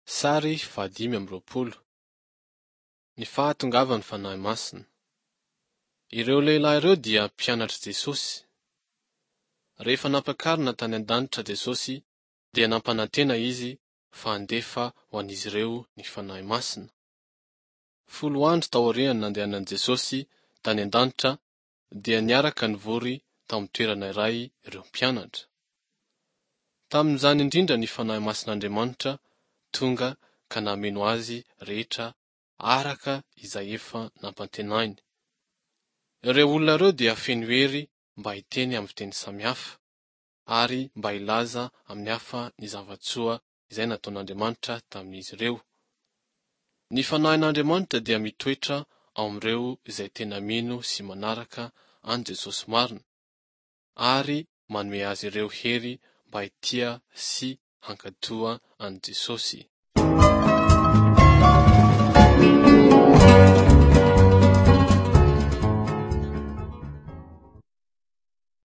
Sary faha-25. Ny fahatongavan'ny Fanahy Masina. Ireo lehilahy ireo dia mpianatr'i Jesosy. Rehefa nampiakarina tany an-danitra Jesosy dia nampanantena Izy fa handefa ho an'izy ireo ny Fanahy Masina. Folo andro taorian'ny nandehanan'i Jesosy tany an-danitra dia niaraka nivory tao amin'ny toerana iray ireo mpianatra. Tamin'izany indrindra ny Fanahy Masin'Andriamanitra tonga ka nameno azy rehetra araka izay efa nampantenainy. Ireo olona ireo dia feno hery mba hiteny amin'ny fiteny samihafa, ary mba hilaza amin'ny hafa ny zava-tsoa izay nataon'Andriamanitra tamin'izy ireo. Ny Fanahin'Andriamanitra dia mitoetra ao amin'ireo izay tena mino sy manaraka an'i Jesosy marina, ary manome azy ireo hery mba hitia sy hankatoa an'i Jesosy.